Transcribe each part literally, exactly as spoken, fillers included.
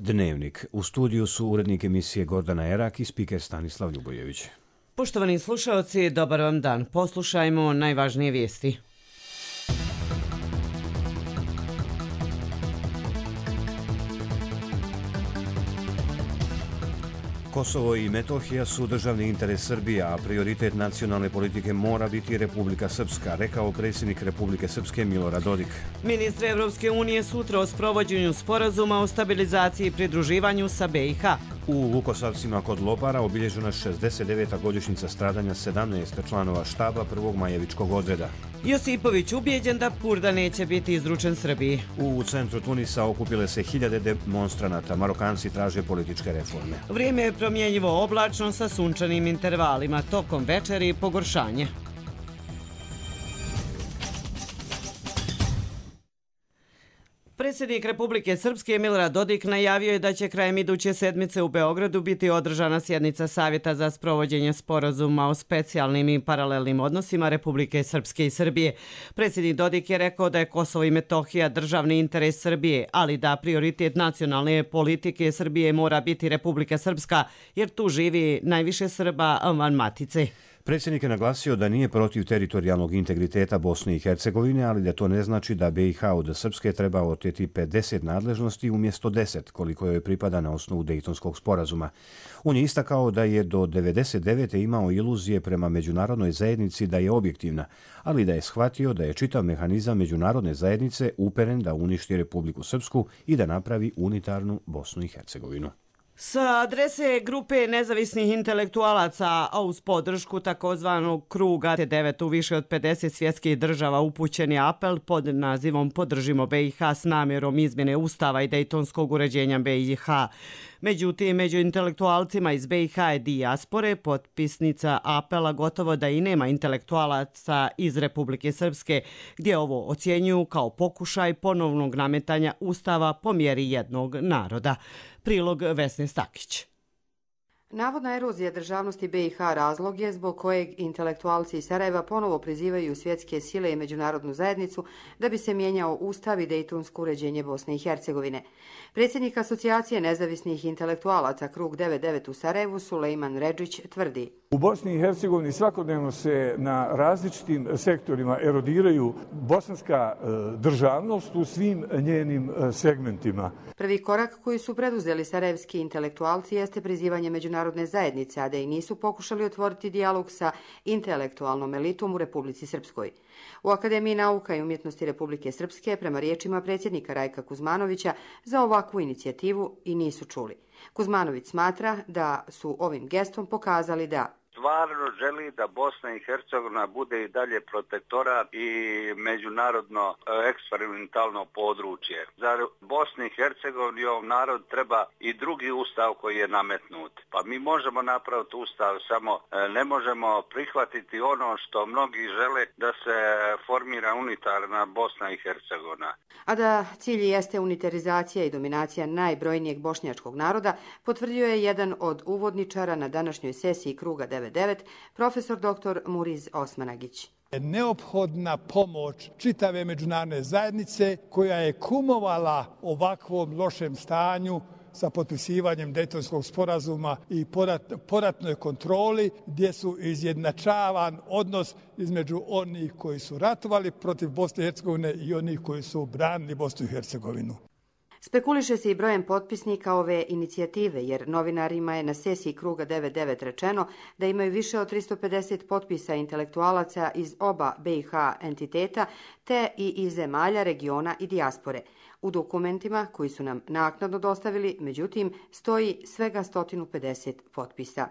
Dnevnik. U studiju su urednik emisije Gordana Erak i spiker Stanislav Ljubojević. Poštovani slušalci, dobar vam dan. Poslušajmo najvažnije vijesti. Kosovo i Metohija su državni interes Srbije, a prioritet nacionalne politike mora biti Republika Srpska, rekao predsjednik Republike Srpske Milorad Dodik. Ministri Evropske unije sutra o sprovođenju sporazuma o stabilizaciji i pridruživanju sa B i H. U Vukosavcima kod Lopara obilježena šezdeset deveta godišnjica stradanja sedamnaest članova štaba prvog Majevičkog odreda. Josipović ubijeđen da Purda neće biti izručen Srbiji. U centru Tunisa okupile se hiljade demonstranata. Marokanci traže političke reforme. Vrijeme je promjenjivo oblačno sa sunčanim intervalima. Tokom večeri pogoršanje. Predsjednik Republike Srpske Milorad Dodik najavio je da će krajem iduće sedmice u Beogradu biti održana sjednica Savjeta za sprovođenje sporazuma o specijalnim i paralelnim odnosima Republike Srpske i Srbije. Predsjednik Dodik je rekao da je Kosovo i Metohija državni interes Srbije, ali da prioritet nacionalne politike Srbije mora biti Republika Srpska, jer tu živi najviše Srba van matice. Predsjednik je naglasio da nije protiv teritorijalnog integriteta Bosne i Hercegovine, ali da to ne znači da B i H od Srpske treba oteti pedeset nadležnosti umjesto deset, koliko joj pripada na osnovu Dejtonskog sporazuma. On je istakao da je do devedeset devete imao iluzije prema međunarodnoj zajednici da je objektivna, ali da je shvatio da je čitav mehanizam međunarodne zajednice uperen da uništi Republiku Srpsku i da napravi unitarnu Bosnu i Hercegovinu. Sa adrese grupe nezavisnih intelektualaca, a uz podršku takozvanog kruga T devet u više od pedeset svjetskih država upućen je apel pod nazivom Podržimo B i H s namjerom izmjene ustava i dejtonskog uređenja B i H. Međutim, među intelektualcima iz B i H i dijaspore potpisnica apela gotovo da i nema intelektualaca iz Republike Srpske, gdje ovo ocjenjuju kao pokušaj ponovnog nametanja ustava po mjeri jednog naroda. Prilog Vesne Stakić. Navodna erozija državnosti B i H razlog je zbog kojeg intelektualci iz Sarajeva ponovo prizivaju svjetske sile i međunarodnu zajednicu da bi se mijenjao ustav i dejtonsko uređenje Bosne i Hercegovine. Predsjednik Asocijacije nezavisnih intelektualaca Krug devedeset devet u Sarajevu Sulejman Redžić tvrdi: U Bosni i Hercegovini svakodnevno se na različitim sektorima erodiraju bosanska državnost u svim njenim segmentima. Prvi korak koji su preduzeli sarajevski intelektualci jeste prizivanje međunarodne zajednice, a da i nisu pokušali otvoriti dijalog sa intelektualnom elitom u Republici Srpskoj. U Akademiji nauka i umjetnosti Republike Srpske, prema riječima predsjednika Rajka Kuzmanovića, za ovakvu inicijativu i nisu čuli. Kuzmanović smatra da su ovim gestom pokazali da stvarno želi da Bosna i Hercegovina bude i dalje protektorat i međunarodno eksperimentalno područje. Za Bosnu i Hercegovinu i ovom narod treba i drugi ustav koji je nametnut. Pa mi možemo napraviti ustav, samo ne možemo prihvatiti ono što mnogi žele da se formira unitarna Bosna i Hercegovina. A da cilj jeste unitarizacija i dominacija najbrojnijeg bošnjačkog naroda, potvrdio je jedan od uvodničara na današnjoj sesiji Kruga devedeset devet, profesor doktor Muriz Osmanagić. Neophodna pomoć čitave međunarodne zajednice koja je kumovala ovakvom lošem stanju sa potpisivanjem Dejtonskog sporazuma i poratnoj kontroli, gdje su izjednačavan odnos između onih koji su ratovali protiv Bosne i Hercegovine i onih koji su branili Bosnu i Hercegovinu. Spekuliše se i brojem potpisnika ove inicijative, jer novinarima je na sesiji Kruga devedeset devet rečeno da imaju više od tristo pedeset potpisa intelektualaca iz oba B i H entiteta, te i iz zemalja, regiona i dijaspore. U dokumentima koji su nam naknadno dostavili, međutim, stoji svega sto pedeset potpisa.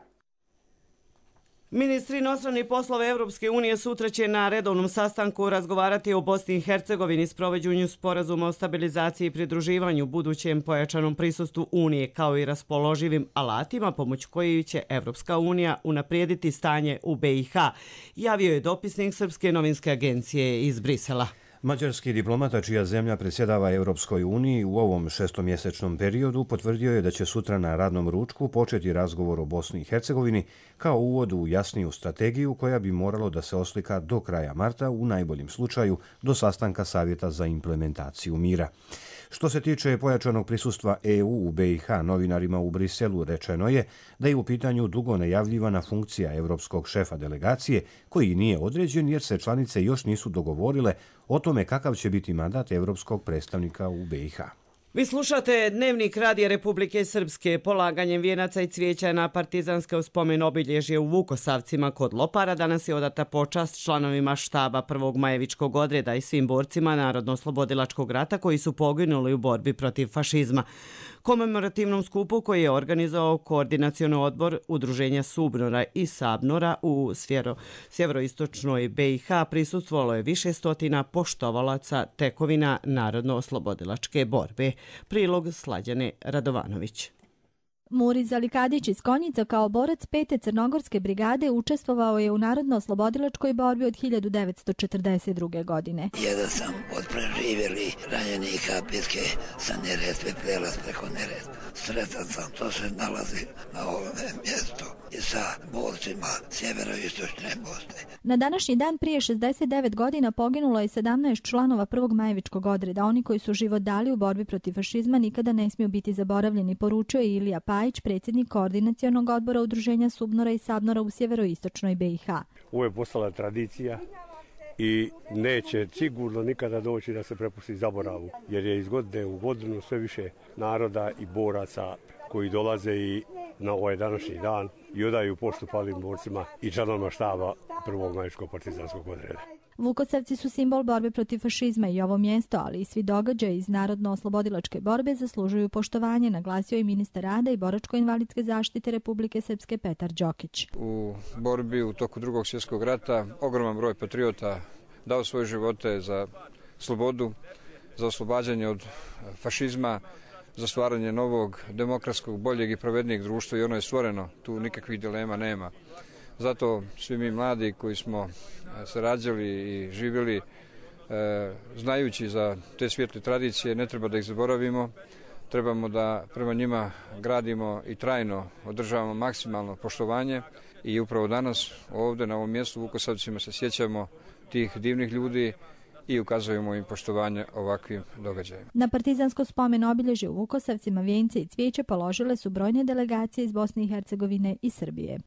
Ministri inostranih poslova Evropske unije sutra će na redovnom sastanku razgovarati o Bosni i Hercegovini, sprovođenju sporazuma o stabilizaciji i pridruživanju, budućem pojačanom prisustvu Unije, kao i raspoloživim alatima pomoću kojih će Evropska unija unaprijediti stanje u B i H, javio je dopisnik Srpske novinske agencije iz Brisela. Mađarski diplomata čija zemlja predsjedava Europskoj uniji u ovom šestomjesečnom periodu potvrdio je da će sutra na radnom ručku početi razgovor o Bosni i Hercegovini kao uvod u jasniju strategiju koja bi moralo da se oslika do kraja marta, u najboljem slučaju do sastanka Savjeta za implementaciju mira. Što se tiče pojačanog prisustva E U u B i H, novinarima u Briselu rečeno je da je u pitanju dugo najavljivana funkcija evropskog šefa delegacije, koji nije određen jer se članice još nisu dogovorile o tome kakav će biti mandat evropskog predstavnika u B i H. Vi slušate Dnevnik Radija Republike Srpske. Polaganjem vijenaca i cvijeća na partizanske spomen obilježje u Vukosavcima kod Lopara danas je odata počast članovima štaba prvog Majevičkog odreda i svim borcima Narodno-oslobodilačkog rata koji su poginuli u borbi protiv fašizma. Komemorativnom skupu koji je organizovao Koordinacioni odbor Udruženja Subnora i Sabnora u svjero, sjeveroistočnoj B i H prisustvovalo je više stotina poštovalaca tekovina Narodno-oslobodilačke borbe. Prilog Slađane Radovanović. Muriz Alikadić iz Konjica kao borac pete crnogorske brigade učestvovao je u Narodno-oslobodilačkoj borbi od hiljadu devetsto četrdeset druge. godine. Jedan sam od preživjeli ranjenika bitke sa Neretve, prelaz preko Neretve. Sretan sam, to se nalazi na ovom mjestu i sa borcima sjeveroistočne Bosne. Na današnji dan prije šezdeset devet godina poginulo je sedamnaest članova prvog Majevičkog odreda. Oni koji su život dali u borbi protiv fašizma nikada ne smiju biti zaboravljeni, poručio je Ilija Pajić, predsjednik Koordinacionog odbora Udruženja Subnora i Sabnora u sjeveroistočnoj B i H. Ovo je postala tradicija i neće sigurno nikada doći da se prepusti zaboravu, jer je iz godine u godinu sve više naroda i boraca koji dolaze i na ovaj današnji dan i odaju poštu palim borcima i članovima štaba prvog Majevičkog partizanskog odreda. Vukosavci su simbol borbe protiv fašizma i ovo mjesto, ali i svi događaji iz Narodno-oslobodilačke borbe zaslužuju poštovanje, naglasio je ministar rada i boračko-invalidske zaštite Republike Srpske Petar Đokić. U borbi u toku drugog svjetskog rata ogroman broj patriota dao svoje živote za slobodu, za oslobađanje od fašizma, za stvaranje novog, demokratskog, boljeg i pravednijeg društva i ono je stvoreno, tu nikakvih dilema nema. Zato svi mi mladi koji smo se rađali i živjeli, e, znajući za te svijetle tradicije, ne treba da ih zaboravimo, trebamo da prema njima gradimo i trajno održavamo maksimalno poštovanje i upravo danas ovdje na ovom mjestu u Vukosavcima se sjećamo tih divnih ljudi i ukazujemo im poštovanje ovakvim događajima. Na partizansko spomen obilježje u Vukosavcima vijence i cvijeće položile su brojne delegacije iz Bosne i Hercegovine i Srbije.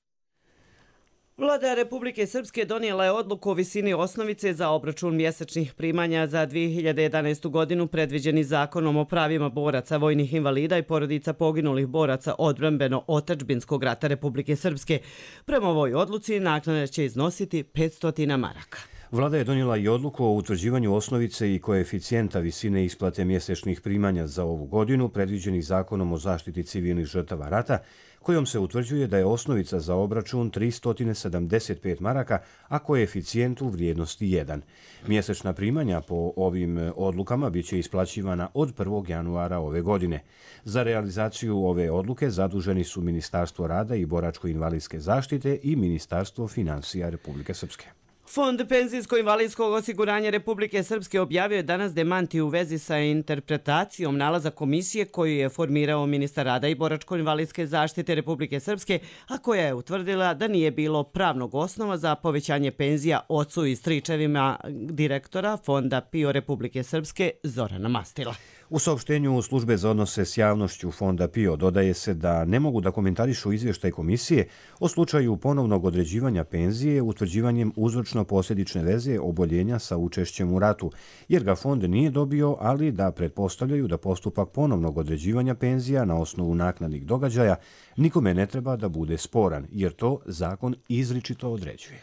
Vlada Republike Srpske donijela je odluku o visini osnovice za obračun mjesečnih primanja za dvije hiljade jedanaestu. godinu predviđeni zakonom o pravima boraca, vojnih invalida i porodica poginulih boraca odbrambeno-otadžbinskog rata Republike Srpske. Prema ovoj odluci naknada će iznositi petsto maraka. Vlada je donijela i odluku o utvrđivanju osnovice i koeficijenta visine isplate mjesečnih primanja za ovu godinu, predviđenih zakonom o zaštiti civilnih žrtava rata, kojom se utvrđuje da je osnovica za obračun tristo sedamdeset pet maraka, a koeficijent u vrijednosti jedan. Mjesečna primanja po ovim odlukama biće isplaćivana od prvog januara ove godine. Za realizaciju ove odluke zaduženi su Ministarstvo rada i boračko-invalidske zaštite i Ministarstvo financija Republike Srpske. Fond penzijsko-invalidskog osiguranja Republike Srpske objavio je danas demanti u vezi sa interpretacijom nalaza komisije koju je formirao ministar rada i boračko-invalidske zaštite Republike Srpske, a koja je utvrdila da nije bilo pravnog osnova za povećanje penzija ocu i stričevima direktora Fonda P I O Republike Srpske Zorana Mastila. U saopštenju službe za odnose s javnošću Fonda P I O dodaje se da ne mogu da komentarišu izvještaj komisije o slučaju ponovnog određivanja penzije utvrđivanjem uzročno-posljedične veze oboljenja sa učešćem u ratu, jer ga fond nije dobio, ali da pretpostavljaju da postupak ponovnog određivanja penzija na osnovu naknadnih događaja nikome ne treba da bude sporan, jer to zakon izričito određuje.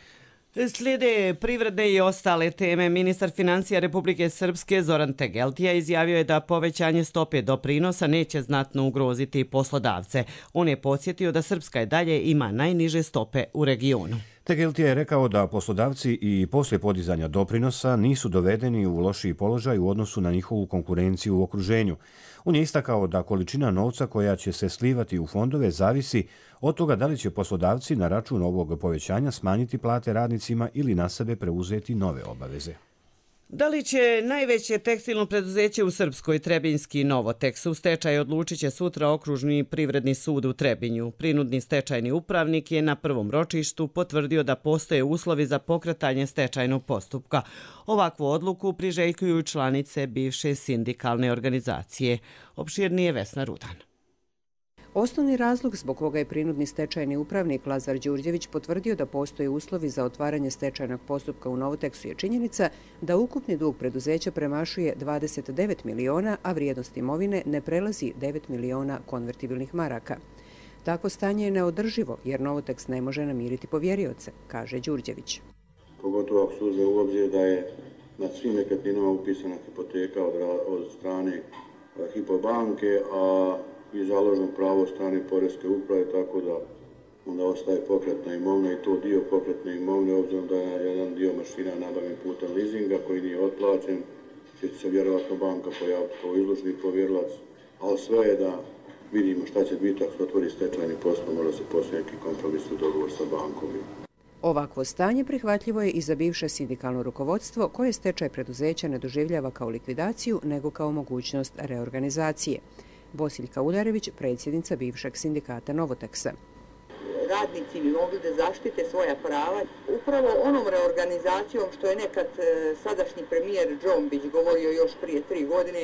Slijede privredne i ostale teme. Ministar financija Republike Srpske Zoran Tegeltija izjavio je da povećanje stope doprinosa neće znatno ugroziti poslodavce. On je podsjetio da Srpska i dalje ima najniže stope u regionu. Tegeltija je rekao da poslodavci i poslije podizanja doprinosa nisu dovedeni u lošiji položaj u odnosu na njihovu konkurenciju u okruženju. On je istakao da količina novca koja će se slivati u fondove zavisi od toga da li će poslodavci na račun ovog povećanja smanjiti plate radnicima ili na sebe preuzeti nove obaveze. Da li će najveće tekstilno preduzeće u Srpskoj, Trebinjski Novoteks, u stečaj odlučit će sutra Okružni privredni sud u Trebinju. Prinudni stečajni upravnik je na prvom ročištu potvrdio da postoje uslovi za pokretanje stečajnog postupka. Ovakvu odluku priželjkuju članice bivše sindikalne organizacije. Opširnije Vesna Rudan. Osnovni razlog zbog koga je prinudni stečajni upravnik Lazar Đurđević potvrdio da postoje uslovi za otvaranje stečajnog postupka u Novoteksu je činjenica da ukupni dug preduzeća premašuje dvadeset devet miliona, a vrijednost imovine ne prelazi devet miliona konvertibilnih maraka. Takvo stanje je neodrživo jer Novoteks ne može namiriti povjerioce, kaže Đurđević. Pogotovo ako se uzme u obzir da je nad svim nekretninama upisana hipoteka od, od strane Hipobanke, a i založno pravo strane poreske uprave, tako da onda ostaje pokretna imovina i to dio pokretne imovine, obzirom da je jedan dio mašina nabavljen putem leasinga koji nije otplaćen, će se vjerovatno banka pojaviti kao izložni povjerilac, ali sve je da vidimo šta će biti ako se otvori stečajni postupak, mora se poslije neki kompromisni dogovor sa bankom. Ovakvo stanje prihvatljivo je i za bivše sindikalno rukovodstvo koje stečaj preduzeća ne doživljava kao likvidaciju nego kao mogućnost reorganizacije. Bosiljka Uljarević, predsjednica bivšeg sindikata Novoteksa. Radnici bi mogli da zaštite svoja prava upravo onom reorganizacijom što je nekad sadašnji premijer Džombić govorio još prije tri godine.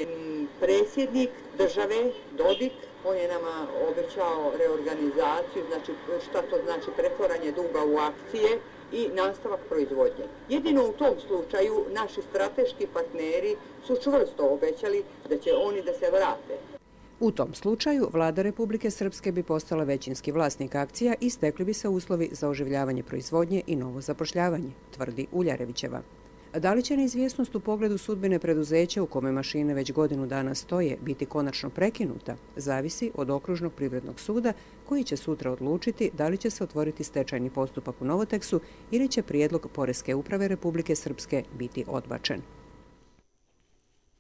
Predsjednik države, Dodik, on je nama obećao reorganizaciju, znači šta to znači pretvaranje duga u akcije i nastavak proizvodnje. Jedino u tom slučaju naši strateški partneri su čvrsto obećali da će oni da se vrate. U tom slučaju vlada Republike Srpske bi postala većinski vlasnik akcija i stekli bi se uslovi za oživljavanje proizvodnje i novo zapošljavanje, tvrdi Uljarevićeva. Da li će neizvjesnost u pogledu sudbine preduzeća u kome mašine već godinu dana stoje biti konačno prekinuta, zavisi od Okružnog privrednog suda koji će sutra odlučiti da li će se otvoriti stečajni postupak u Novoteksu ili će prijedlog Poreske uprave Republike Srpske biti odbačen.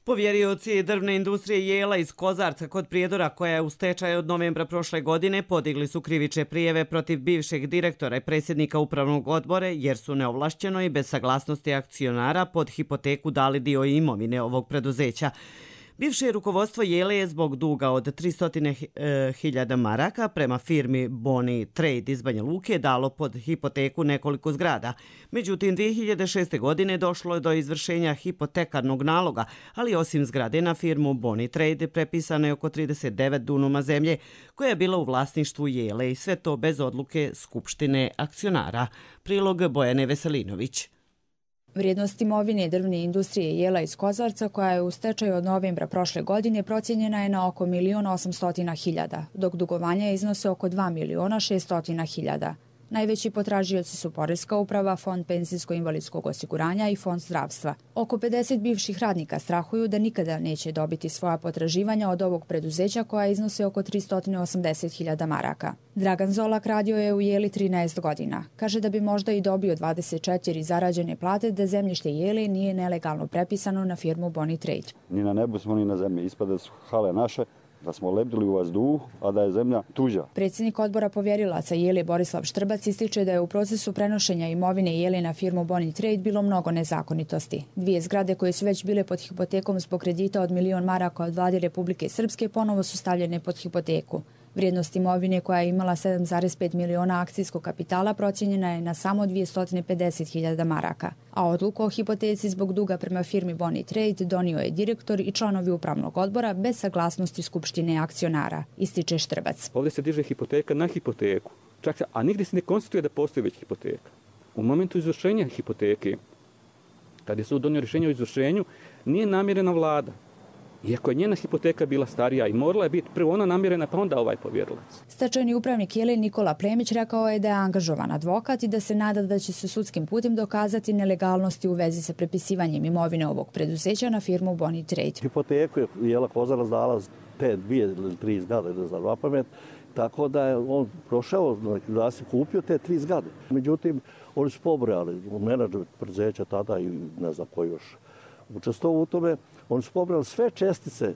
Povjerioci drvne industrije Jela iz Kozarca kod Prijedora, koja je u stečaju od novembra prošle godine, podigli su krivične prijeve protiv bivšeg direktora i predsjednika upravnog odbora jer su neovlašćeno i bez saglasnosti akcionara pod hipoteku dali dio imovine ovog preduzeća. Bivše rukovodstvo Jele je zbog duga od tristo hiljada maraka prema firmi Boni Trade iz Banja Luke dalo pod hipoteku nekoliko zgrada. Međutim, dvije hiljade šeste. godine došlo je do izvršenja hipotekarnog naloga, ali osim zgrade na firmu Boni Trade prepisano je oko trideset devet dunuma zemlje koja je bila u vlasništvu Jele i sve to bez odluke Skupštine akcionara. Prilog Bojane Veselinović. Vrijednost imovine drvne industrije Jela iz Kozarca, koja je u stečaju od novembra prošle godine, procijenjena je na oko milion osamsto hiljada, dok dugovanja iznose oko dva miliona šesto hiljada. Najveći potražioci su Poreska uprava, Fond penzijsko-invalidskog osiguranja i Fond zdravstva. Oko pedeset bivših radnika strahuju da nikada neće dobiti svoja potraživanja od ovog preduzeća koja iznose oko tristo osamdeset hiljada maraka. Dragan Zolak radio je u Jeli trinaest godina. Kaže da bi možda i dobio dvadeset četiri zarađene plate da zemljište Jele nije nelegalno prepisano na firmu Boni Trade. Ni na nebu smo ni na zemlji. Ispade su hale naše, da smo lebdili u vazduhu, a da je zemlja tuđa. Predsjednik odbora povjerilaca Jele Borislav Štrbac ističe da je u procesu prenošenja imovine Jele na firmu Boni Trade bilo mnogo nezakonitosti. Dvije zgrade koje su već bile pod hipotekom zbog kredita od milion maraka od vlade Republike Srpske ponovo su stavljene pod hipoteku. Vrijednost imovine koja je imala sedam zarez pet miliona akcijskog kapitala procijenjena je na samo dvjesto pedeset hiljada maraka, a odluku o hipoteci zbog duga prema firmi Boni Trade donio je direktor i članovi upravnog odbora bez saglasnosti Skupštine akcionara, ističe Štrbac. Ovdje se diže hipoteka na hipoteku, čak, a nigdje se ne konstatuje da postoji već hipoteka. U momentu izvršenja hipoteke, kad je sud donio rješenje o izvršenju, nije namjerena vlada. Iako je njena hipoteka bila starija i morala je biti prvo ona namjerena pa onda ovaj povjerilac. Stečajni upravnik Jele Nikola Plemić rekao je da je angažovan advokat i da se nada da će se sudskim putem dokazati nelegalnosti u vezi sa prepisivanjem imovine ovog preduzeća na firmu Boni Trade. Hipoteku je Jela Kozarac dala te dvije ili tri zgrade za dva pamet, tako da je on prošao da se kupio te tri zgrade. Međutim, oni su pobrojali u menadžer preduzeća tada i ne znam ko još učestvovao u tome. Oni su pobrali sve čestice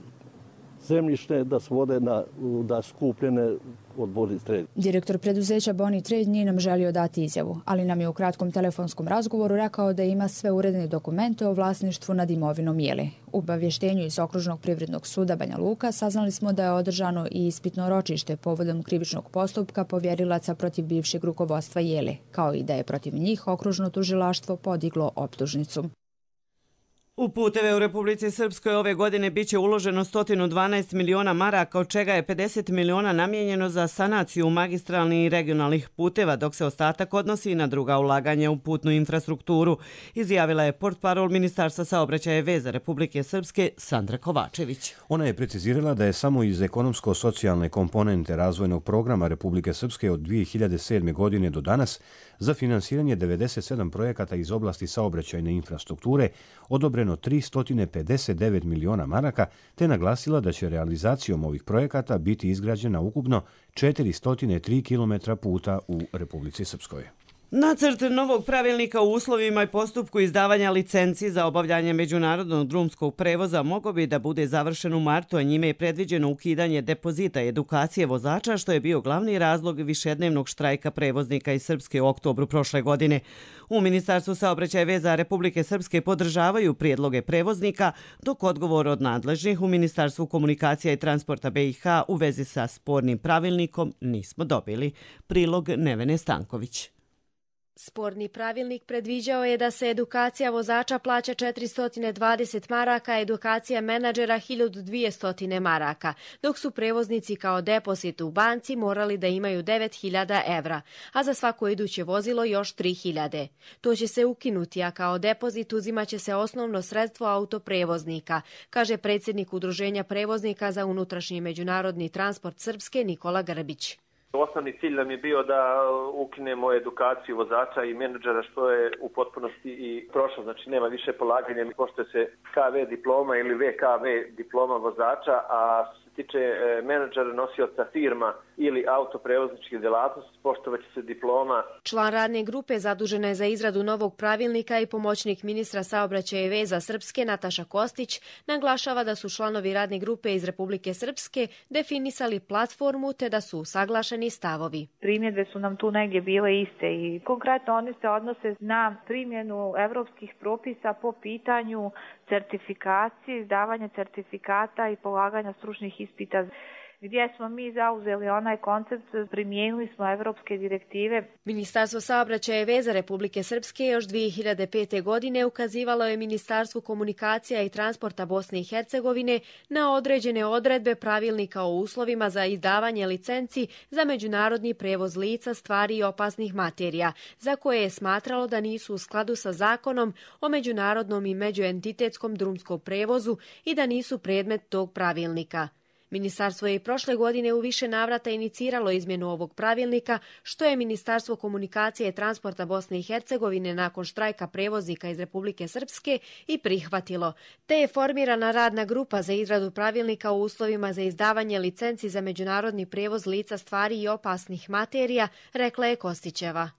zemljište da svode na, da skupljene od Boni Trade. Direktor preduzeća Boni Trade nije nam želio dati izjavu, ali nam je u kratkom telefonskom razgovoru rekao da ima sve uredne dokumente o vlasništvu nad imovinom Jeli. U obavještenju iz Okružnog privrednog suda Banja Luka saznali smo da je održano i ispitno ročište povodom krivičnog postupka povjerilaca protiv bivšeg rukovodstva Jeli, kao i da je protiv njih okružno tužilaštvo podiglo optužnicu. U puteve u Republici Srpskoj ove godine biće uloženo sto dvanaest miliona maraka, od čega je pedeset miliona namijenjeno za sanaciju magistralnih i regionalnih puteva, dok se ostatak odnosi i na druga ulaganja u putnu infrastrukturu, izjavila je portparol Ministarstva saobraćaja i veza Republike Srpske Sandra Kovačević. Ona je precizirala da je samo iz ekonomsko-socijalne komponente razvojnog programa Republike Srpske od dvije hiljade sedme. godine do danas za finansiranje devedeset sedam projekata iz oblasti saobraćajne infrastrukture odobreno tristo pedeset devet miliona maraka, te naglasila da će realizacijom ovih projekata biti izgrađena ukupno četiristo tri kilometra puta u Republici Srpskoj. Nacrt novog pravilnika o uslovima i postupku izdavanja licenci za obavljanje međunarodnog drumskog prevoza mogao bi da bude završen u martu, a njime je predviđeno ukidanje depozita i edukacije vozača, što je bio glavni razlog višednevnog štrajka prevoznika iz Srpske u oktobru prošle godine. U Ministarstvu saobraćaja i veza Republike Srpske podržavaju prijedloge prevoznika, dok odgovor od nadležnih u Ministarstvu komunikacija i transporta B i H u vezi sa spornim pravilnikom nismo dobili. Prilog Nevene Stanković. Sporni pravilnik predviđao je da se edukacija vozača plaća četiristo dvadeset maraka, a edukacija menadžera hiljadu dvjesto maraka, dok su prevoznici kao depozit u banci morali da imaju devet hiljada evra, a za svako iduće vozilo još tri hiljade. To će se ukinuti, a kao depozit uzimaće se osnovno sredstvo autoprevoznika, kaže predsjednik Udruženja prevoznika za unutrašnji međunarodni transport Srpske Nikola Grbić. Osnovni cilj nam je bio da ukinemo edukaciju vozača i menadžera, što je u potpunosti i prošlo. Znači nema više polaganja, pošto se K V diploma ili V K V diploma vozača, a što se tiče menadžera, nosioca firma ili autoprevozničke djelatnosti, poštovat će se diploma. Član radne grupe zadužena je za izradu novog pravilnika i pomoćnik ministra saobraćaja i veza Srpske Nataša Kostić naglašava da su članovi radne grupe iz Republike Srpske definisali platformu te da su usaglašeni stavovi. Primjedbe su nam tu negdje bile iste i konkretno one se odnose na primjenu evropskih propisa po pitanju certifikacije, izdavanja certifikata i polaganja stručnih ispita, gdje smo mi zauzeli onaj koncept, primijenili smo evropske direktive. Ministarstvo saobraćaja i veza Republike Srpske još dvije hiljade pete. godine ukazivalo je Ministarstvu komunikacija i transporta Bosne i Hercegovine na određene odredbe pravilnika o uslovima za izdavanje licenci za međunarodni prevoz lica, stvari i opasnih materija, za koje je smatralo da nisu u skladu sa zakonom o međunarodnom i međuentitetskom drumskom prevozu i da nisu predmet tog pravilnika. Ministarstvo je i prošle godine u više navrata iniciralo izmjenu ovog pravilnika, što je Ministarstvo komunikacije i transporta Bosne i Hercegovine nakon štrajka prevoznika iz Republike Srpske i prihvatilo, te je formirana radna grupa za izradu pravilnika o uslovima za izdavanje licenci za međunarodni prevoz lica, stvari i opasnih materija, rekla je Kostićeva.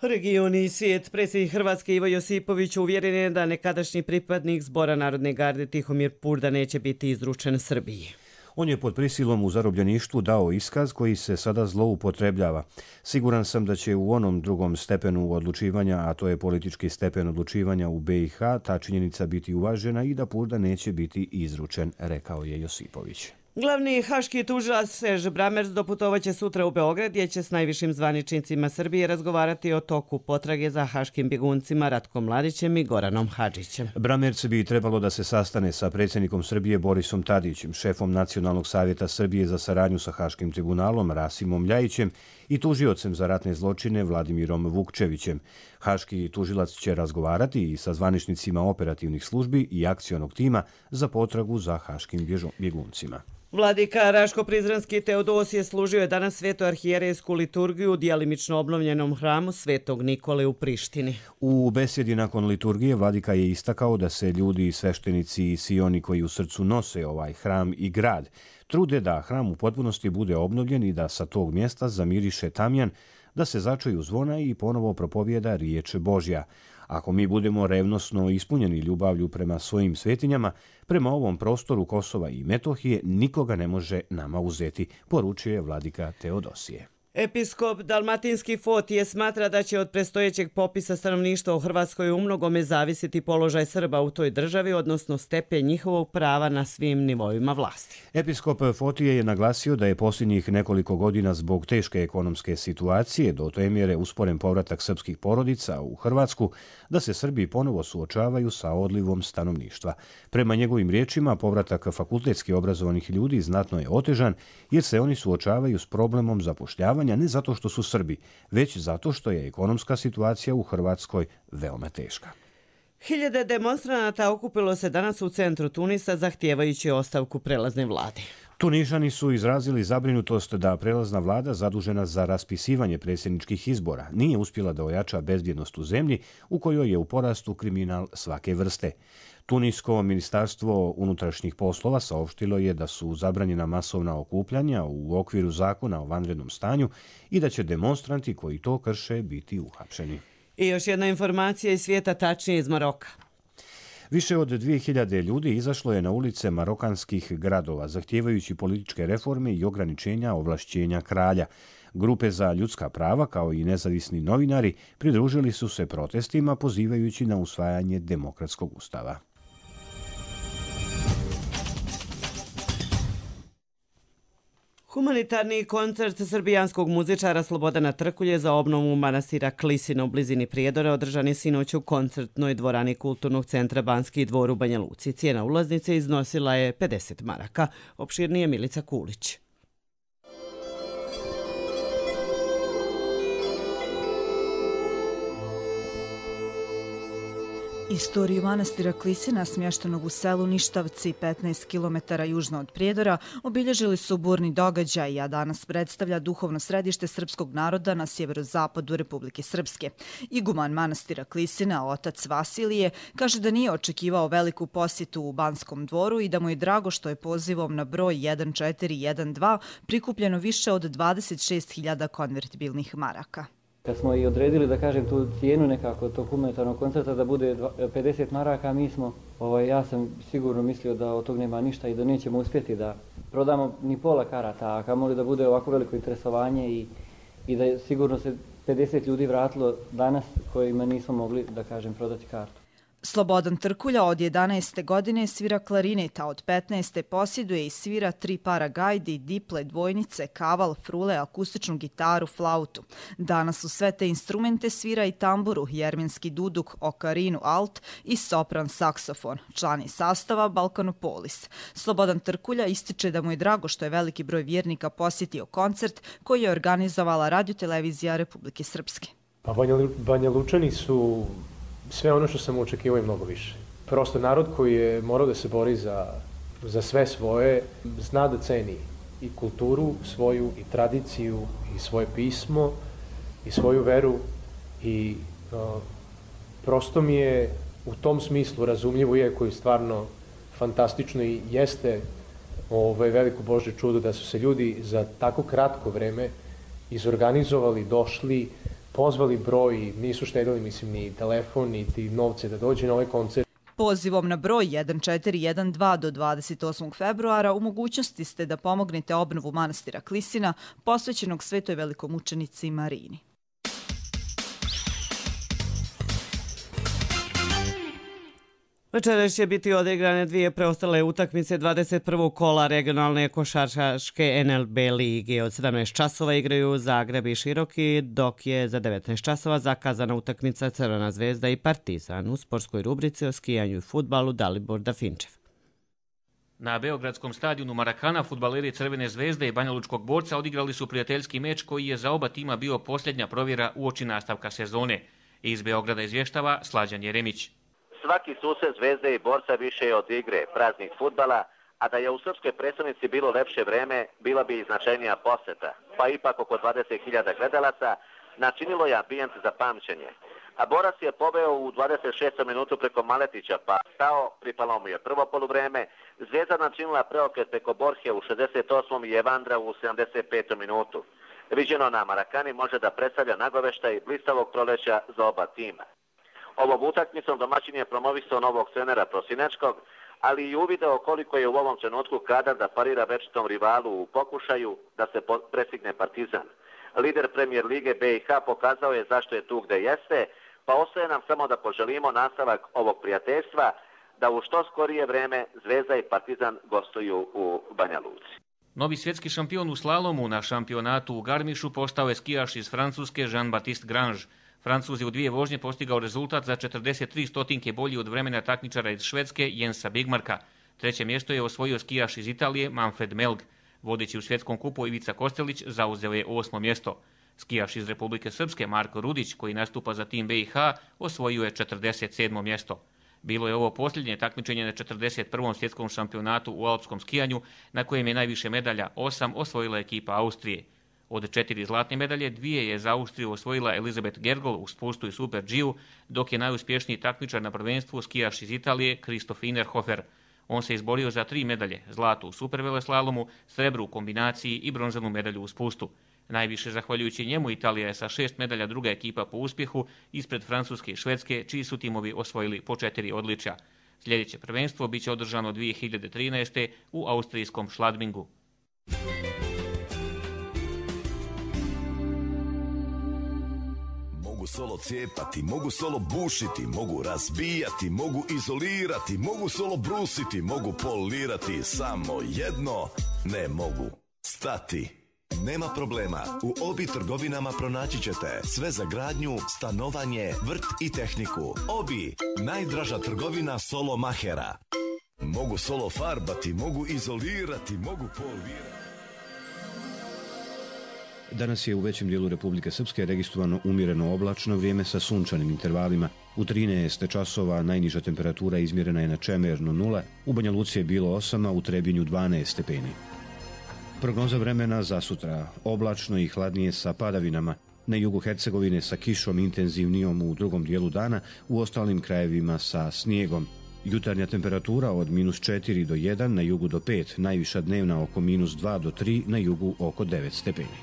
Region i svijet. Predsjednik Hrvatske Ivo Josipović uvjeren je da nekadašnji pripadnik Zbora Narodne garde Tihomir Purda neće biti izručen Srbiji. On je pod prisilom u zarobljeništvu dao iskaz koji se sada zloupotrebljava. Siguran sam da će u onom drugom stepenu odlučivanja, a to je politički stepen odlučivanja u B i H, ta činjenica biti uvažena i da Purda neće biti izručen, rekao je Josipović. Glavni haški tužilac Serž Bramers doputovaće sutra u Beograd, gdje će s najvišim zvaničnicima Srbije razgovarati o toku potrage za haškim bjeguncima Ratkom Mladićem i Goranom Hadžićem. Bramers bi trebalo da se sastane sa predsjednikom Srbije Borisom Tadićem, šefom Nacionalnog savjeta Srbije za saradnju sa Haškim tribunalom Rasimom Ljajićem i tužiocem za ratne zločine Vladimirom Vukčevićem. Haški tužilac će razgovarati i sa zvaničnicima operativnih službi i akcionog tima za potragu za haškim bjeguncima. Vladika Raško-Prizrenski Teodosije služio je danas sveto arhijerejsku liturgiju u djelimično obnovljenom hramu Svetog Nikole u Prištini. U besjedi nakon liturgije vladika je istakao da se ljudi, sveštenici i svi oni koji u srcu nose ovaj hram i grad trude da hram u potpunosti bude obnovljen i da sa tog mjesta zamiriše tamjan, da se začuju zvona i ponovo propovijeda riječ Božja. Ako mi budemo revnosno ispunjeni ljubavlju prema svojim svetinjama, prema ovom prostoru Kosova i Metohije nikoga ne može nama uzeti, poručuje vladika Teodosije. Episkop Dalmatinski Fotije smatra da će od predstojećeg popisa stanovništva u Hrvatskoj u mnogome zavisiti položaj Srba u toj državi, odnosno stepen njihovog prava na svim nivoima vlasti. Episkop Fotije je naglasio da je posljednjih nekoliko godina zbog teške ekonomske situacije do te mjere usporen povratak srpskih porodica u Hrvatsku, da se Srbi ponovo suočavaju sa odlivom stanovništva. Prema njegovim riječima, povratak fakultetski obrazovanih ljudi znatno je otežan jer se oni suočavaju s problemom zapošljavanja ne zato što su Srbi, već zato što je ekonomska situacija u Hrvatskoj veoma teška. Hiljade demonstranata okupilo se danas u centru Tunisa zahtijevajući ostavku prelazne vlade. Tunižani su izrazili zabrinutost da prelazna vlada zadužena za raspisivanje predsjedničkih izbora nije uspjela da ojača bezbjednost u zemlji u kojoj je u porastu kriminal svake vrste. Tunisko ministarstvo unutrašnjih poslova saopštilo je da su zabranjena masovna okupljanja u okviru zakona o vanrednom stanju i da će demonstranti koji to krše biti uhapšeni. I još jedna informacija iz svijeta, tačnije iz Maroka. Više od dvije hiljade ljudi izašlo je na ulice marokanskih gradova, zahtijevajući političke reforme i ograničenja ovlašćenja kralja. Grupe za ljudska prava, kao i nezavisni novinari, pridružili su se protestima pozivajući na usvajanje demokratskog ustava. Humanitarni koncert srbijanskog muzičara Slobodana Trkulje za obnovu manastira Klisina u blizini Prijedora održan je sinoć u koncertnoj dvorani Kulturnog centra Banski dvor u Banja Luci. Cijena ulaznice iznosila je pedeset maraka. Opširnije Milica Kulić. Istoriju manastira Klisina, smještenog u selu Ništavci, petnaest kilometara južno od Prijedora, obilježili su burni događaj, a danas predstavlja duhovno središte srpskog naroda na sjeverozapadu Republike Srpske. Iguman manastira Klisina, otac Vasilije, kaže da nije očekivao veliku posjetu u Banskom dvoru i da mu je drago što je pozivom na broj jedan četiri jedan dva prikupljeno više od dvadeset šest hiljada konvertibilnih maraka. Kad smo i odredili, da kažem, tu cijenu nekako tog humanitarnog koncerta da bude pedeset maraka, mi smo, ovaj, ja sam sigurno mislio da od tog nema ništa i da nećemo uspjeti da prodamo ni pola karata, a kamoli da bude ovako veliko interesovanje i, i da je sigurno se pedeset ljudi vratilo danas kojima nismo mogli, da kažem, prodati kartu. Slobodan Trkulja od jedanaeste godine svira klarinet, a od petnaeste posjeduje i svira tri para gajdi, diple, dvojnice, kaval, frule, akustičnu gitaru, flautu. Danas u sve te instrumente svira i tamburu, jermenski duduk, okarinu, alt i sopran saksofon. Član je sastava Balkanopolis. Slobodan Trkulja ističe da mu je drago što je veliki broj vjernika posjetio koncert koji je organizovala radiotelevizija Republike Srpske. Pa Banja, Banja Lučani su sve ono što sam očekivao i mnogo više. Prosto narod koji je morao da se bori za, za sve svoje, zna da ceni i kulturu svoju, i tradiciju, i svoje pismo, i svoju veru i uh, prosto mi je u tom smislu razumljivo, iako je stvarno fantastično i jeste ovaj, veliko Božje čudo da su se ljudi za tako kratko vreme izorganizovali, došli, pozvali broj, nisu štedili, mislim, ni telefon, niti novce da dođe na ovaj koncert. Pozivom na broj jedan četiri jedan dva do dvadeset osmog februara u mogućnosti ste da pomognete obnovu manastira Klisina, posvećenog svetoj velikomučenici Marini. Večeras će biti odigrane dvije preostale utakmice dvadeset prvog kola regionalne košarkaške N L B lige. Od sedamnaest časova igraju Zagreb i Široki, dok je za devetnaest časova zakazana utakmica Crvena zvezda i Partizan. U sportskoj rubrici o skijanju i fudbalu Dalibor Dafinčev. Na beogradskom stadionu Marakana fudbaleri Crvene zvezde i Banjalučkog borca odigrali su prijateljski meč koji je za oba tima bio posljednja provjera uoči nastavka sezone. Iz Beograda izvještava Slađan Jeremić. Svaki susret Zvezde i Borca više je od igre, praznih fudbala, a da je u srpskoj predstavnici bilo lepše vreme, bila bi i značajnija poseta, pa ipak oko dvadeset hiljada gledalaca načinilo je ambijent za pamćenje. A Borac je poveo u dvadeset šestom minutu preko Maletića, pa stao, pripalo mu je prvo poluvreme, Zvezda načinila preokret preko Borhe u šezdeset osmom i Evandra u sedamdeset petom minutu. Viđeno na Marakani može da predstavlja nagoveštaj blistavog proleća za oba tima. Ovom utakmicom domaćin je promovisao novog trenera Prosinečkog, ali i uvideo koliko je u ovom trenutku kadar da parira večitom rivalu u pokušaju da se prestigne Partizan. Lider Premijer Lige B i H pokazao je zašto je tu gde jeste, pa ostaje nam samo da poželimo nastavak ovog prijateljstva, da u što skorije vreme Zvezda i Partizan gostuju u Banja Luci. Novi svjetski šampion u slalomu na šampionatu u Garmišu postao je skijaš iz Francuske Jean-Baptiste Grange. Francuz je u dvije vožnje postigao rezultat za četrdeset tri stotinke bolji od vremena takmičara iz Švedske Jensa Bigmarka. Treće mjesto je osvojio skijaš iz Italije Manfred Melg. Vodeći u svjetskom kupu Ivica Kostelić zauzeo je osmo mjesto. Skijaš iz Republike Srpske Marko Rudić, koji nastupa za tim B i H, osvojio je četrdeset sedmo mjesto. Bilo je ovo posljednje takmičenje na četrdeset prvom svjetskom šampionatu u alpskom skijanju, na kojem je najviše medalja, osam, osvojila ekipa Austrije. Od četiri zlatne medalje, dvije je za Austriju osvojila Elizabeth Gergol u spustu i Super G-u, dok je najuspješniji takmičar na prvenstvu skijaš iz Italije Christoph Innerhofer. On se izborio za tri medalje, zlatu u superveleslalomu, srebru u kombinaciji i bronzanu medalju u spustu. Najviše zahvaljujući njemu Italija je sa šest medalja druga ekipa po uspjehu ispred Francuske i Švedske, čiji su timovi osvojili po četiri odličja. Sljedeće prvenstvo biće održano dvije hiljade trinaeste. u austrijskom Schladmingu. Mogu solo cijepati, mogu solo bušiti, mogu razbijati, mogu izolirati, mogu solo brusiti, mogu polirati, samo jedno ne mogu stati. Nema problema, u Obi trgovinama pronaći ćete sve za gradnju, stanovanje, vrt i tehniku. Obi, najdraža trgovina solo mahera. Mogu solo farbati, mogu izolirati, mogu polirati. Danas je u većem dijelu Republike Srpske registrovano umjereno oblačno vrijeme sa sunčanim intervalima. U trinaest časova najniža temperatura izmjerena je na Čemernu nula, u Banja Luci je bilo osam, a u Trebinju dvanaest stepeni. Prognoza vremena za sutra: oblačno i hladnije sa padavinama. Na jugu Hercegovine sa kišom intenzivnijom u drugom dijelu dana, u ostalim krajevima sa snijegom. Jutarnja temperatura od minus četiri do jedan, na jugu do pet, najviša dnevna oko minus dva do tri, na jugu oko devet stepeni.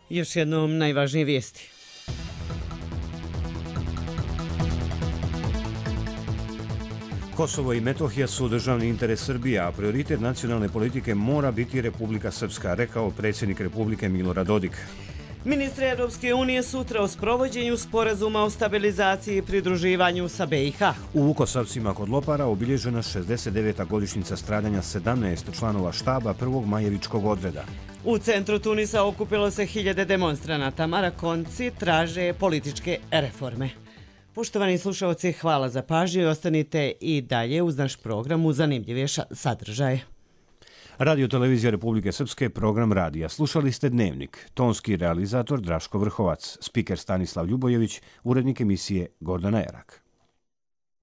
Još jednom najvažnije vijesti. Kosovo i Metohija su državni interes Srbije, a prioritet nacionalne politike mora biti Republika Srpska, rekao predsjednik Republike Milorad Dodik. Ministri Europske unije sutra o sprovođenju sporazuma o stabilizaciji i pridruživanju sa B i H. U Vukosavcima kod Lopara obilježena šezdeset deveta godišnjica stradanja sedamnaest članova štaba prvog Majevičkog odreda. U centru Tunisa okupilo se hiljade demonstranata. Marakonci traže političke reforme. Poštovani slušalci, hvala za pažnju i ostanite i dalje uz naš program u zanimljivije sadržaje. Radio Televizija Republike Srpske, program radija. Slušali ste Dnevnik. Tonski realizator Draško Vrhovac, spiker Stanislav Ljubojević, urednik emisije Gordana Erak.